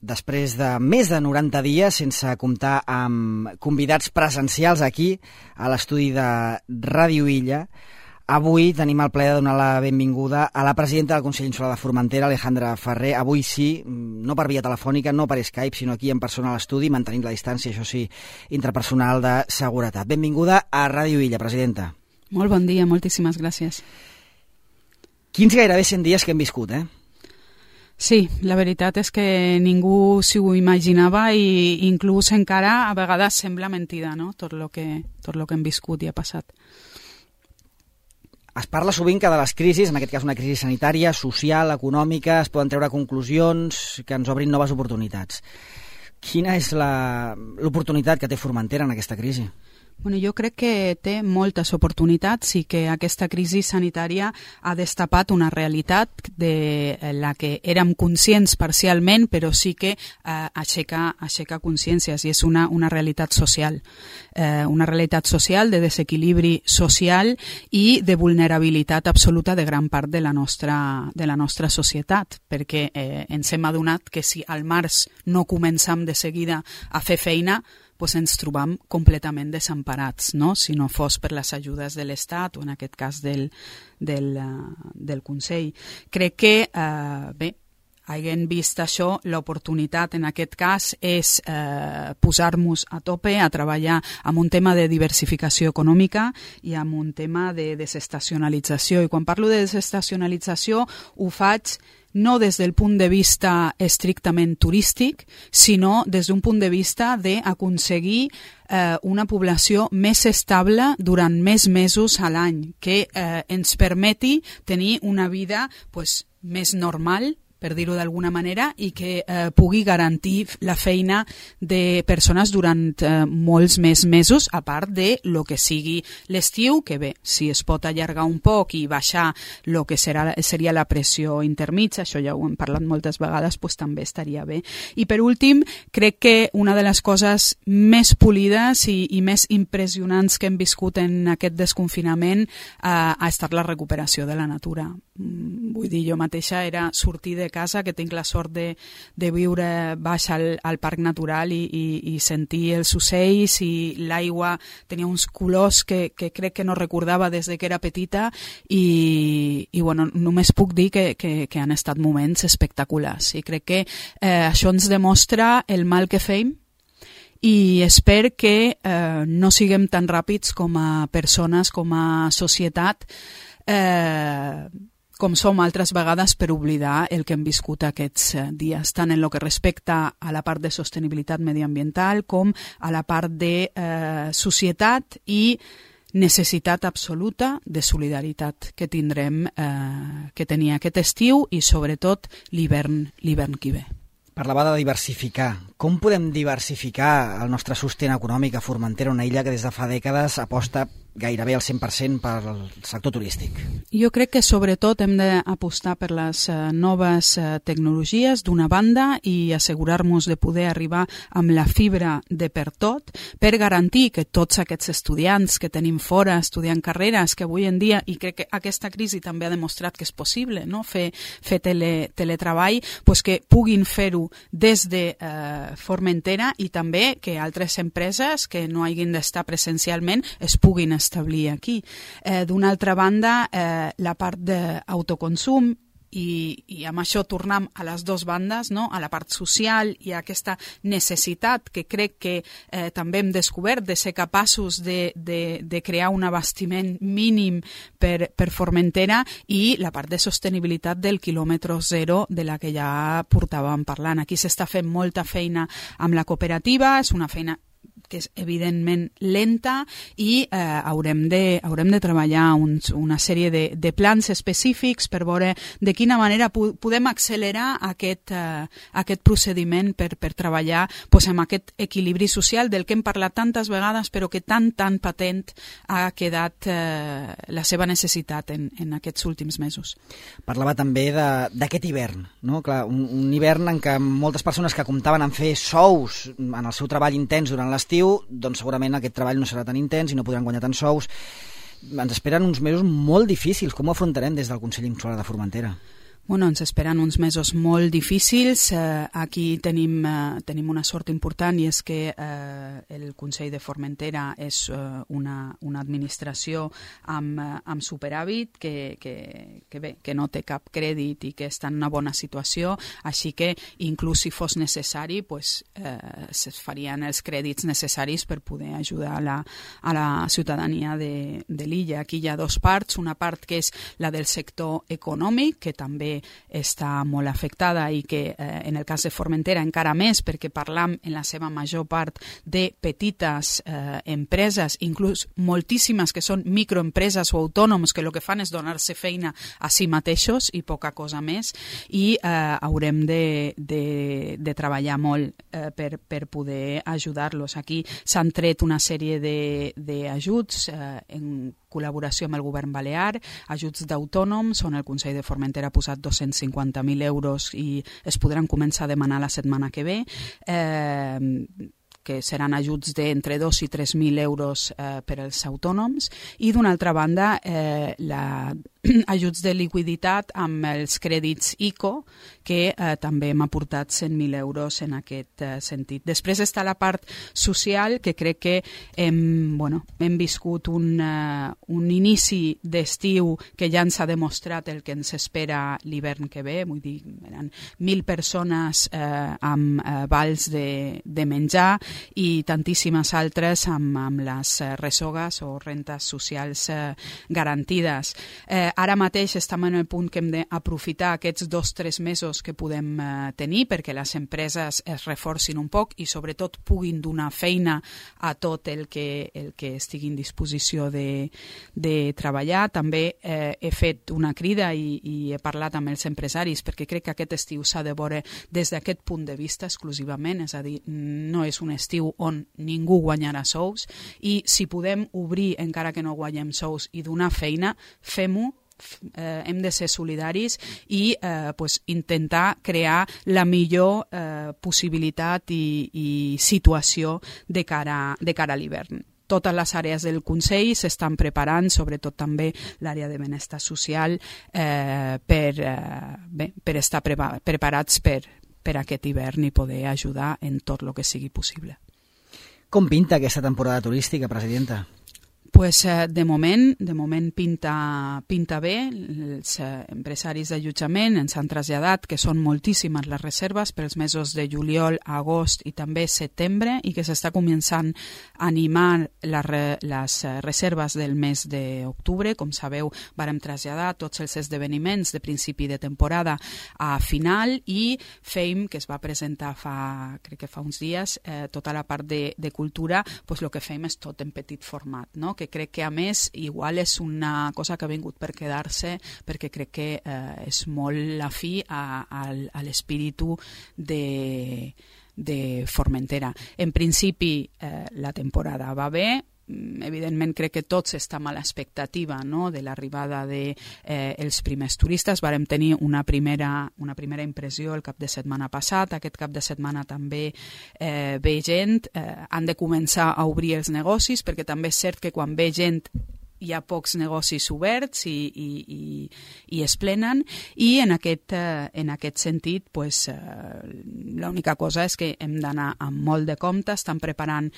després de més de 90 dies sense comptar amb convidats presencials aquí a l'estudi de Ràdio Illa, avui tenim el plaer de donar la benvinguda a la presidenta del Consell Insular de Formentera, Alejandra Ferrer. Avui sí, no per via telefònica, no per Skype, sinó aquí en persona a l'estudi, mantenint la distància, això sí, intrapersonal de seguretat. Benvinguda a Ràdio Illa, presidenta. Molt bon dia, moltíssimes gràcies. Quins gairebé 100 dies que hem viscut, Sí, la veritat és que ningú s'ho imaginava i inclús encara a vegades sembla mentida, no? Tot lo que hem viscut i ha passat. Es parla sovint que de les crisis, en aquest cas una crisi sanitària, social, econòmica, es poden treure conclusions que ens obrin noves oportunitats. Quina és l'oportunitat que té Formentera en aquesta crisi? Bueno, jo crec que té moltes oportunitats i que aquesta crisi sanitària ha destapat una realitat de la que érem conscients parcialment, però sí que aixeca consciències i és una realitat social. Una realitat social de desequilibri social i de vulnerabilitat absoluta de gran part de la nostra societat, perquè ens hem adonat que si al març no comencem de seguida a fer feina, pues ens trobam completament desemparats, no? Si no fos per les ajudes de l'Estat o en aquest cas del Consell. Crec que, havent vist això, l'oportunitat en aquest cas és posar-nos a tope a treballar amb un tema de diversificació econòmica i amb un tema de desestacionalització. I quan parlo de desestacionalització ho faig no des del punt de vista estrictament turístic, sinó des d'un punt de vista d'aconseguir una població més estable durant més mesos a l'any, que ens permeti tenir una vida més normal, per dir-ho d'alguna manera, i que pugui garantir la feina de persones durant molts més mesos, a part de lo que sigui l'estiu, que bé, si es pot allargar un poc i baixar el que seria la pressió intermitja, això ja ho hem parlat moltes vegades, també estaria bé. I per últim, crec que una de les coses més polides i més impressionants que hem viscut en aquest desconfinament ha estat la recuperació de la natura. Vull dir, jo mateixa era sortir de casa, que tinc la sort de viure baix al parc natural i sentir els ocells i l'aigua tenia uns colors que crec que no recordava des que era petita i bueno, només puc dir que han estat moments espectaculars i crec que això ens demostra el mal que fem i espero que no siguem tan ràpids com a persones, com a societat, com som altres vegades per oblidar el que hem viscut aquests dies, tant en el que respecta a la part de sostenibilitat mediambiental com a la part de societat i necessitat absoluta de solidaritat que tindrem que tenir aquest estiu i sobretot l'hivern que ve. Parlava de diversificar. Com podem diversificar el nostre sostén econòmic a Formentera, una illa que des de fa dècades aposta gairebé al 100% pel sector turístic? Jo crec que sobretot hem d'apostar per les noves tecnologies d'una banda i assegurar-nos de poder arribar amb la fibra de per tot per garantir que tots aquests estudiants que tenim fora estudiant carreres, que avui en dia, i crec que aquesta crisi també ha demostrat que és possible, no? fer teletreball, que puguin fer-ho des de Formentera i també que altres empreses que no hagin d'estar presencialment es puguin establir aquí. D'una altra banda, la part d'autoconsum i amb això tornem a les dues bandes, no? A la part social i a aquesta necessitat que crec que també hem descobert de ser capaços de crear un abastiment mínim per Formentera i la part de sostenibilitat del quilòmetre zero de la que ja portàvem parlant. Aquí s'està fent molta feina amb la cooperativa, és una feina que és evidentment lenta i haurem de treballar una sèrie de plans específics per veure de quina manera podem accelerar aquest procediment per treballar amb aquest equilibri social del que hem parlat tantes vegades però que tan patent ha quedat la seva necessitat en aquests últims mesos. Parlava també d'aquest hivern, no? Clar, un hivern en què moltes persones que comptaven en fer sous en el seu treball intens durant l'estiu, doncs segurament aquest treball no serà tan intens i no podran guanyar tants sous. Ens esperen uns mesos molt difícils. Com ho afrontarem des del Consell Insular de Formentera? Bueno, ens esperen uns mesos molt difícils. Aquí tenim una sort important i és que el Consell de Formentera és una administració amb superàvit que no té cap crèdit i que està en una bona situació, així que inclús si fos necessari es farien els crèdits necessaris per poder ajudar a la ciutadania de l'illa. Aquí hi ha dues parts, una part que és la del sector econòmic, que també està molt afectada i que en el cas de Formentera encara més, perquè parlam en la seva major part de petites empreses, inclús moltíssimes que són microempreses o autònoms que el que fan és donar-se feina a si mateixos i poca cosa més, i haurem de treballar molt per poder ajudar-los. Aquí s'han tret una sèrie d'ajuts en col·laboració amb el govern balear, ajuts d'autònoms, on el Consell de Formentera ha posat 250.000 euros i es podran començar a demanar la setmana que ve, que seran ajuts d'entre 2 i 3.000 euros per als autònoms, i d'una altra banda ajuts de liquiditat amb els crèdits ICO, que també hem aportat 100.000 euros en aquest sentit. Després està la part social, que crec que hem viscut un inici d'estiu que ja ens ha demostrat el que ens espera l'hivern que ve, vull dir, eren 1.000 persones amb vals de menjar i tantíssimes altres amb les resogues o rentes socials garantides. Ara mateix estem en el punt que hem d'aprofitar aquests 2 o 3 mesos que podem tenir perquè les empreses es reforcin un poc i sobretot puguin donar feina a tot el que estigui en disposició de treballar. També he fet una crida i he parlat amb els empresaris perquè crec que aquest estiu s'ha de veure des d'aquest punt de vista exclusivament, és a dir, no és un estiu on ningú guanyarà sous, i si podem obrir encara que no guanyem sous i donar feina, fem-ho. Hem de ser solidaris i intentar crear la millor possibilitat i situació de cara a l'hivern. Totes les àrees del Consell s'estan preparant, sobretot també l'àrea de benestar social, per estar preparats per aquest hivern i poder ajudar en tot el que sigui possible. Com pinta aquesta temporada turística, presidenta? De moment pinta bé. Els empresaris d'allotjament ens han traslladat que són moltíssimes les reserves pels mesos de juliol, agost i també setembre, i que s'està començant a animar les reserves del mes d'octubre. Com sabeu, vàrem traslladar tots els esdeveniments de principi de temporada a final, i FEIM, que es va presentar crec que fa uns dies, tota la part de cultura, el que fem és tot en petit format, no? Que crec que a més igual és una cosa que ha vingut per quedar-se, perquè crec que és molt afí a l'espíritu de Formentera. En principi la temporada va bé. Evidentment crec que tots estem a l'expectativa, no?, de l'arribada dels primers turistes. Vàrem tenir una primera impressió el cap de setmana passat. Aquest cap de setmana també ve gent. Han de començar a obrir els negocis, perquè també és cert que quan ve gent hi ha pocs negocis oberts i es plenen, i en aquest sentit l'única cosa és que hem d'anar amb molt de compte. Estan preparant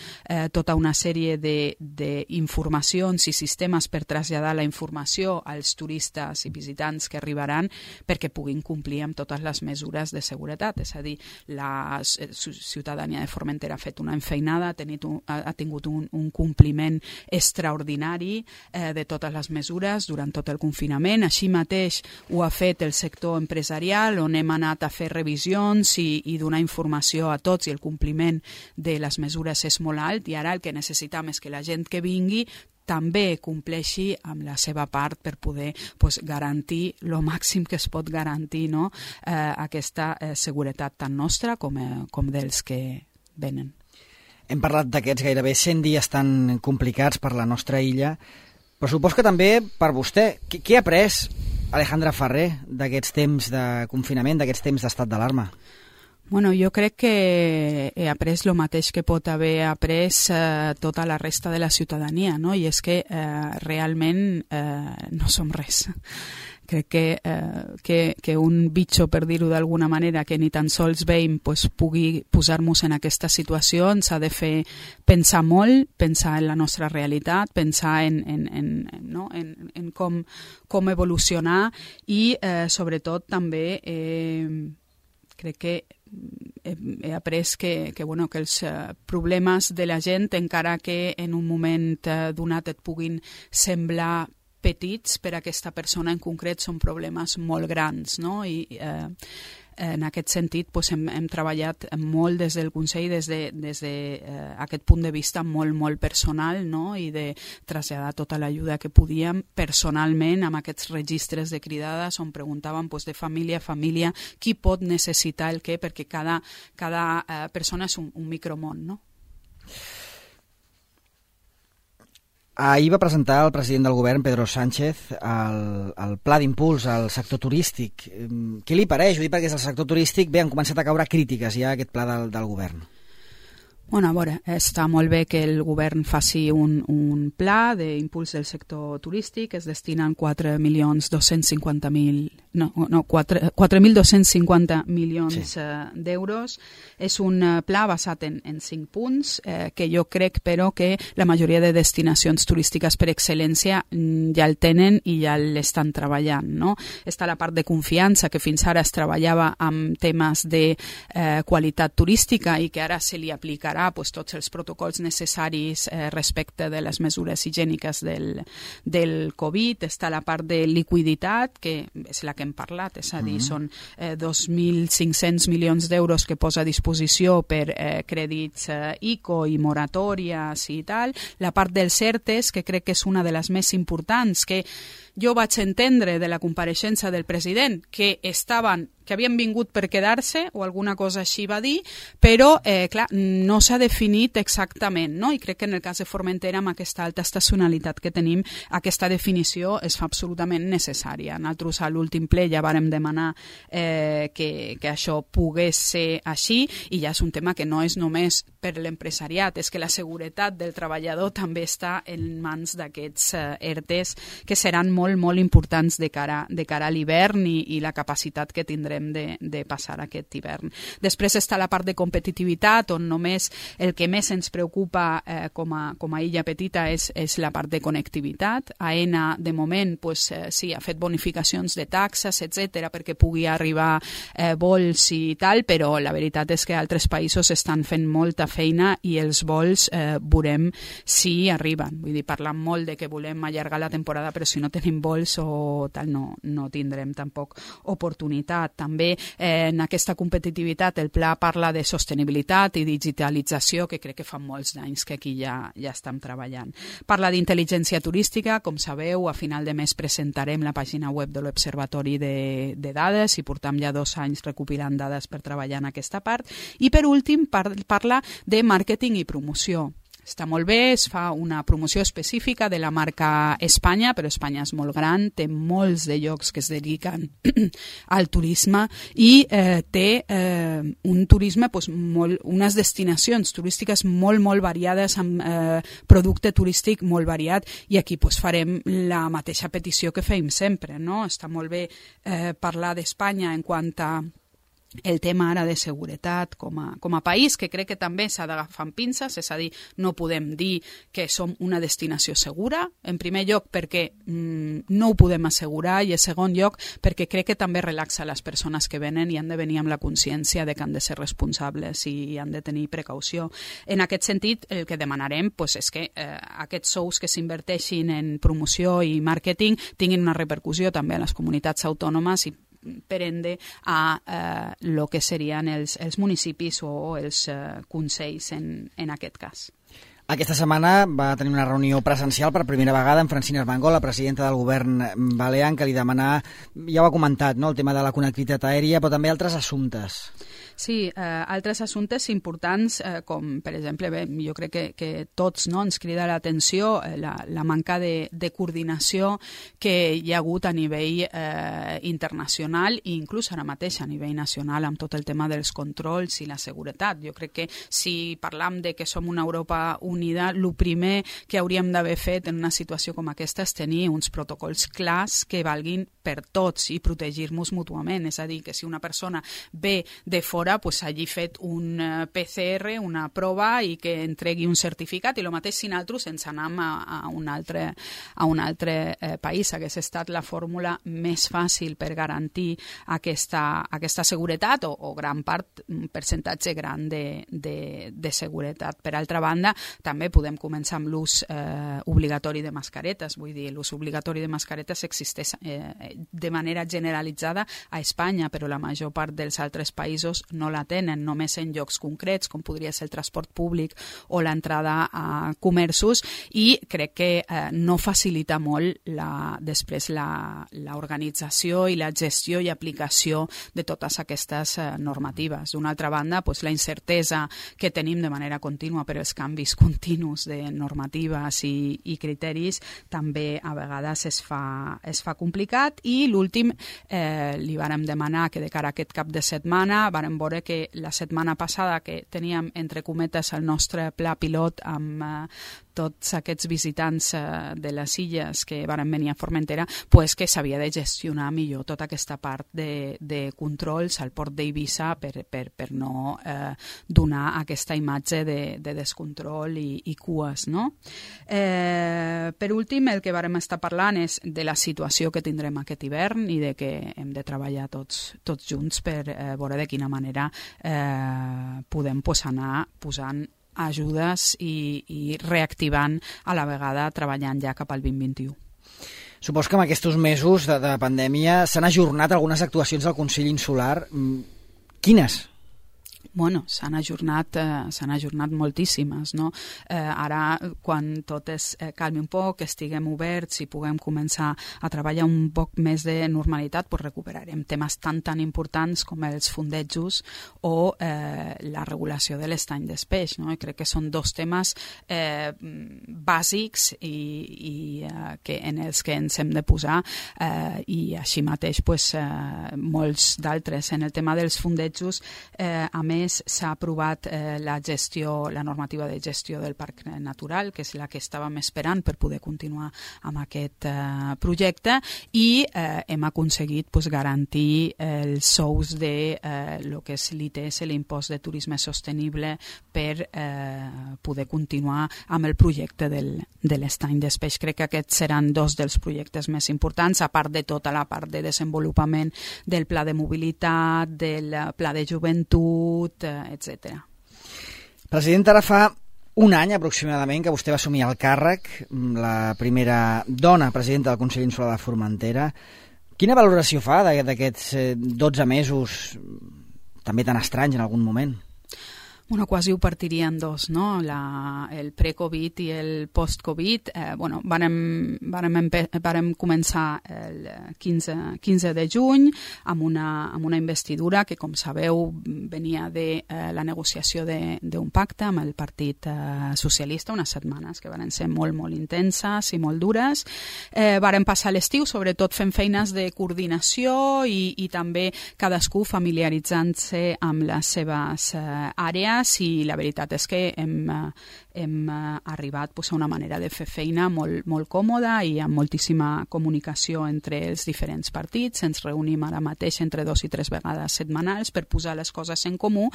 tota una sèrie d'informacions i sistemes per traslladar la informació als turistes i visitants que arribaran, perquè puguin complir amb totes les mesures de seguretat. És a dir, la ciutadania de Formentera ha fet una enfeinada, ha tingut un compliment extraordinari de totes les mesures durant tot el confinament. Així mateix ho ha fet el sector empresarial, on hem anat a fer revisions i donar informació a tots, i el compliment de les mesures és molt alt, i ara el que necessitem és que la gent que vingui també compleixi amb la seva part per poder garantir el màxim que es pot garantir, no?, aquesta seguretat tant nostra com dels que venen. Hem parlat d'aquests gairebé 100 dies tan complicats per la nostra illa, però supos que també per vostè. Què ha après Alejandra Ferrer d'aquests temps de confinament, d'aquests temps d'estat d'alarma? Bueno, jo crec que he après el mateix que pot haver après tota la resta de la ciutadania, no? I és que realment no som res. crec que un bitxo, per dir-ho d'alguna manera, que ni tan sols veiem pugui posar-nos en aquesta situació, ens ha de fer pensar molt, pensar en la nostra realitat, pensar en com evolucionar i sobretot també crec que he après que els problemes de la gent, encara que en un moment donat et puguin semblar petits, per a aquesta persona en concret són problemes molt grans, no? I en aquest sentit hem treballat molt des del Consell, des d'aquest punt de vista molt personal, no? I de traslladar tota l'ajuda que podíem personalment amb aquests registres de cridades on preguntàvem de família a família qui pot necessitar el què, perquè cada persona és un micromón, no? Ahir va presentar el president del govern, Pedro Sánchez, el pla d'impuls al sector turístic. Què li pareix? Ho dic perquè és el sector turístic, han començat a caure crítiques ja a aquest pla del govern. Bueno, a veure, està molt bé que el govern faci un pla d'impuls del sector turístic. Es destinen 4.250 milions d'euros. És un pla basat en 5 punts que jo crec, però, que la majoria de destinacions turístiques per excel·lència ja el tenen i ja l'estan treballant, no? Està la part de confiança, que fins ara es treballava amb temes de qualitat turística i que ara se li aplicarà tots els protocols necessaris respecte de les mesures higièniques del Covid. Està la part de liquiditat, que és la que hem parlat, és a dir, són 2.500 milions d'euros que posa a disposició per crèdits ICO i moratòries i tal. La part dels ERTEs, que crec que és una de les més importants, que jo vaig entendre de la compareixença del president que havien vingut per quedar-se o alguna cosa així va dir, però clar, no s'ha definit exactament, no? I crec que en el cas de Formentera, amb aquesta alta estacionalitat que tenim, aquesta definició es fa absolutament necessària. Nosaltres a l'últim ple ja vàrem demanar que això pogués ser així, i ja és un tema que no és només per l'empresariat, és que la seguretat del treballador també està en mans d'aquests ERTEs, que seran molt importants de cara a l'hivern i la capacitat que tindrem de passar aquest hivern. Després està la part de competitivitat, on només el que més ens preocupa com a illa petita és la part de connectivitat. AENA, de moment, sí, ha fet bonificacions de taxes, etc., perquè pugui arribar vols i tal, però la veritat és que altres països estan fent molta feina i els vols veurem si arriben. Vull dir, parlant molt de que volem allargar la temporada, però si no tenim vols o tal, no tindrem tampoc oportunitat. També en aquesta competitivitat el pla parla de sostenibilitat i digitalització, que crec que fa molts anys que aquí ja estem treballant. Parla d'intel·ligència turística, com sabeu, a final de mes presentarem la pàgina web de l'Observatori de Dades i portam ja 2 anys recopilant dades per treballar en aquesta part. I per últim parla de màrqueting i promoció. Està molt bé, es fa una promoció específica de la marca Espanya, però Espanya és molt gran, té molts de llocs que es dediquen al turisme i té un turisme, unes destinacions turístiques molt variades, amb producte turístic molt variat, i aquí farem la mateixa petició que fem sempre, no? Està molt bé parlar d'Espanya en quant a el tema ara de seguretat com a país, que crec que també s'ha d'agafar amb pinces, és a dir, no podem dir que som una destinació segura, en primer lloc perquè no ho podem assegurar, i en segon lloc perquè crec que també relaxa les persones que venen i han de venir amb la consciència de que han de ser responsables i han de tenir precaució. En aquest sentit, el que demanarem és que aquests sous que s'inverteixin en promoció i màrqueting tinguin una repercussió també a les comunitats autònomes i per ende a lo que serien els municipis o els consells en aquest cas. Aquesta setmana va tenir una reunió presencial per primera vegada amb Francina Armengol, la presidenta del govern balear, que li demanà, ja ho ha comentat, no?, el tema de la connectivitat aèria, però també altres assumptes. Sí, altres assumptes importants, com per exemple, jo crec que tots ens crida l'atenció la manca de coordinació que hi ha hagut a nivell internacional i inclús ara mateix a nivell nacional amb tot el tema dels controls i la seguretat. Jo crec que si parlam de que som una Europa unida, el primer que hauríem d'haver fet en una situació com aquesta és tenir uns protocols clars que valguin per tots i protegir-nos mútuament. És a dir, que si una persona ve de fora, pues hagi fet un PCR, una prova i que entregui un certificat, i el mateix si nosaltres ens anem a un altre país. Hagués estat la fórmula més fàcil per garantir aquesta seguretat o gran part, un percentatge gran de seguretat. Per altra banda, també podem començar amb l'ús obligatori de mascaretes. Vull dir, l'ús obligatori de mascaretes existeix de manera generalitzada a Espanya, però la major part dels altres països no la tenen, només en llocs concrets, com podria ser el transport públic o l'entrada a comerços, i crec que no facilita molt després l'organització i la gestió i aplicació de totes aquestes normatives. D'una altra banda, la incertesa que tenim de manera contínua per els canvis continus de normatives i criteris també a vegades es fa complicat. I l'últim, li vàrem demanar que de cara a aquest cap de setmana, vàrem veure que la setmana passada que teníem entre cometes el nostre pla pilot amb tots aquests visitants de les illes que van venir a Formentera, que s'havia de gestionar millor tota aquesta part de controls al port d'Eivissa per no donar aquesta imatge de descontrol i cues, no? Per últim, el que vàrem estar parlant és de la situació que tindrem aquest hivern i de que hem de treballar tots junts per veure de quina manera podem anar posant ajudes i reactivant a la vegada treballant ja cap al 2021. Supos que en aquests mesos de pandèmia s'han ajornat algunes actuacions del Consell Insular. Quines? Bueno, s'han ajornat moltíssimes, no? Ara, quan tot es calmi un poc, estiguem oberts i puguem començar a treballar un poc més de normalitat, recuperarem temes tan importants com els fundejos o la regulació de l'estany d'espeix, no? I crec que són dos temes bàsics i en els que ens hem de posar, i així mateix molts d'altres. En el tema dels fundejos, a més, s'ha aprovat la normativa de gestió del parc natural, que és la que estàvem esperant per poder continuar amb aquest projecte, i hem aconseguit garantir els sous de lo que és l'ITS, l'impost de turisme sostenible, per poder continuar amb el projecte de l'estany d'espeix. Crec que aquests seran dos dels projectes més importants, a part de tota la part de desenvolupament del pla de mobilitat, del pla de joventut, etc. President, ara fa un any aproximadament que vostè va assumir el càrrec, la primera dona presidenta del Consell Insular de Formentera. Quina valoració fa d'aquests 12 mesos també tan estranys en algun moment? Bueno, quasi ho partiria en dos, no? El pre-Covid i el post-Covid. Vàrem començar el 15 de juny amb una investidura que, com sabeu, venia de la negociació d'un pacte amb el Partit Socialista, unes setmanes que van ser molt, molt intenses i molt dures. Vàrem passar l'estiu, sobretot fent feines de coordinació i també cadascú familiaritzant-se amb les seves àrees, i la veritat és que hem arribat a una manera de fer feina molt còmoda i amb moltíssima comunicació entre els diferents partits. Ens reunim ara mateix entre 2 i 3 vegades setmanals per posar les coses en comú,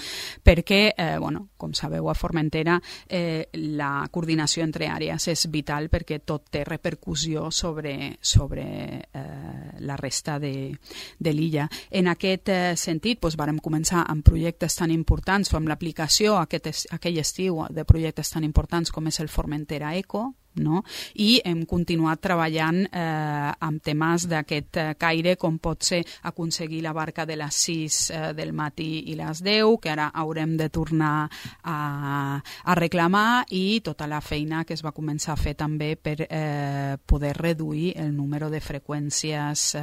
perquè, com sabeu, a Formentera la coordinació entre àrees és vital, perquè tot té repercussió sobre la resta de l'illa. En aquest sentit, vàrem començar amb projectes tan importants o amb l'aplicació aquell estiu de projectes tan importants com és el Formentera Eco, no? I hem continuat treballant amb temes d'aquest caire, com pot ser aconseguir la barca de les 6 del matí i les 10, que ara haurem de tornar a reclamar, i tota la feina que es va començar a fer també per poder reduir el número de freqüències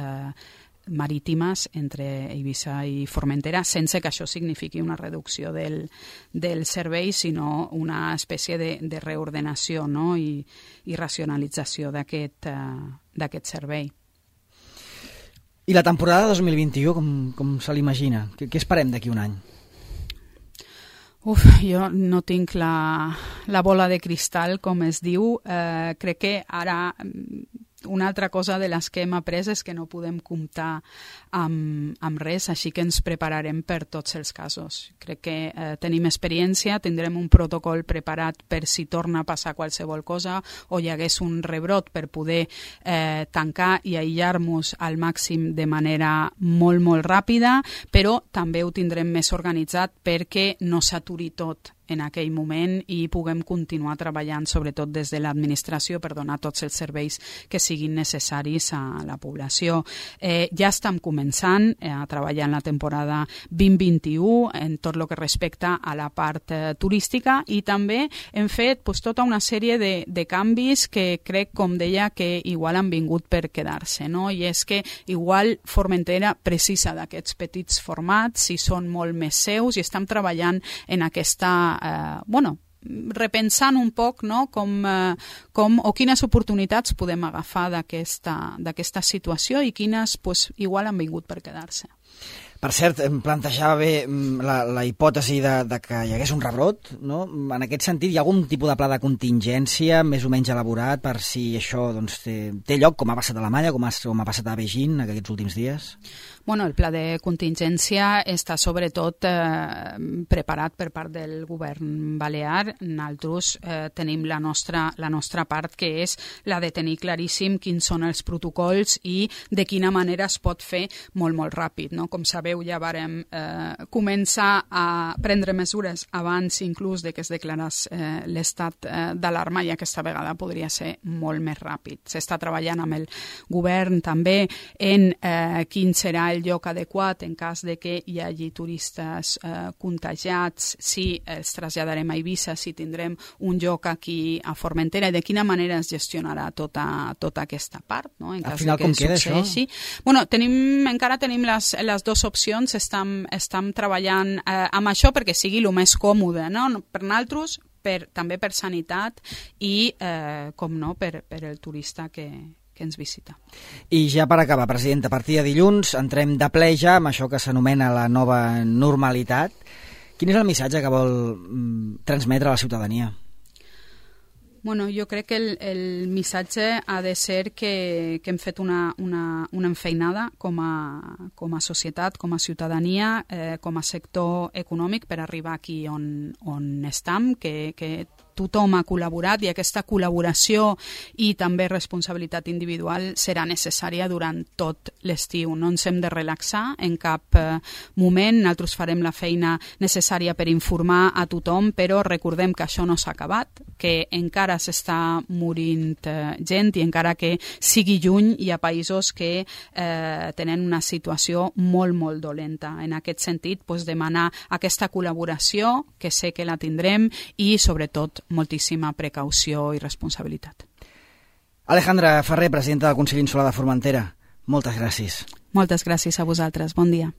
marítimes entre Eivissa i Formentera, sense que això signifiqui una reducció del servei, sinó una espècie de reordenació, no? I racionalització d'aquest servei. I la temporada 2021, com se l'imagina? Què esperem d'aquí un any? Jo no tinc la bola de cristal, com es diu. Crec que ara una altra cosa de les que hem après és que no podem comptar amb res, així que ens prepararem per tots els casos. Crec que tenim experiència, tindrem un protocol preparat per si torna a passar qualsevol cosa o hi hagués un rebrot per poder tancar i aïllar-nos al màxim de manera molt, molt ràpida, però també ho tindrem més organitzat perquè no s'aturi tot en aquell moment i puguem continuar treballant, sobretot des de l'administració, per donar tots els serveis que siguin necessaris a la població. Ja estem començant a treballar en la temporada 2021 en tot el que respecta a la part turística i també hem fet tota una sèrie de canvis que crec, com deia, que igual han vingut per quedar-se, no? I és que igual Formentera precisa d'aquests petits formats i són molt més seus i estem treballant en aquesta repensant un poc, no? com o quines oportunitats podem agafar d'aquesta situació i quines igual han vingut per quedar-se. Per cert, em plantejava bé la hipòtesi de que hi hagués un rebrot, no? En aquest sentit, hi ha algun tipus de pla de contingència més o menys elaborat per si això té lloc, com ha passat a Alemanya, com ha passat a Beijing aquests últims dies? El pla de contingència està sobretot preparat per part del govern balear. Nosaltres tenim la nostra part, que és la de tenir claríssim quins són els protocols i de quina manera es pot fer molt, molt ràpid, no? Com sabeu, ja vàrem començar a prendre mesures abans inclús de que es declarés l'estat d'alarma, i aquesta vegada podria ser molt més ràpid. S'està treballant amb el govern també en quin serà el lloc adequat en cas de que hi hagi turistes contagiats, si els traslladarem a Eivissa, si tindrem un lloc aquí a Formentera i de quina manera es gestionarà tota aquesta part, no? En cas al final, de que com queda succeeixi. Encara tenim les dues opcions, estem treballant amb això perquè sigui el més còmode, no? Per nosaltres, també per sanitat i, com no, per el turista que ens visita. I ja per acabar, presidenta, a partir de dilluns entrem de ple ja amb això que s'anomena la nova normalitat. Quin és el missatge que vol transmetre a la ciutadania? Jo crec que el missatge ha de ser que hem fet una enfeinada com a societat, com a ciutadania, com a sector econòmic per arribar aquí on estem, que tothom ha col·laborat i aquesta col·laboració i també responsabilitat individual serà necessària durant tot l'estiu. No ens hem de relaxar en cap moment, nosaltres farem la feina necessària per informar a tothom, però recordem que això no s'ha acabat, que encara s'està morint gent i encara que sigui lluny hi ha països que tenen una situació molt, molt dolenta. En aquest sentit, demanar aquesta col·laboració, que sé que la tindrem, i sobretot moltíssima precaució i responsabilitat. Alejandra Ferrer, presidenta del Consell Insular de Formentera, moltes gràcies. Moltes gràcies a vosaltres. Bon dia.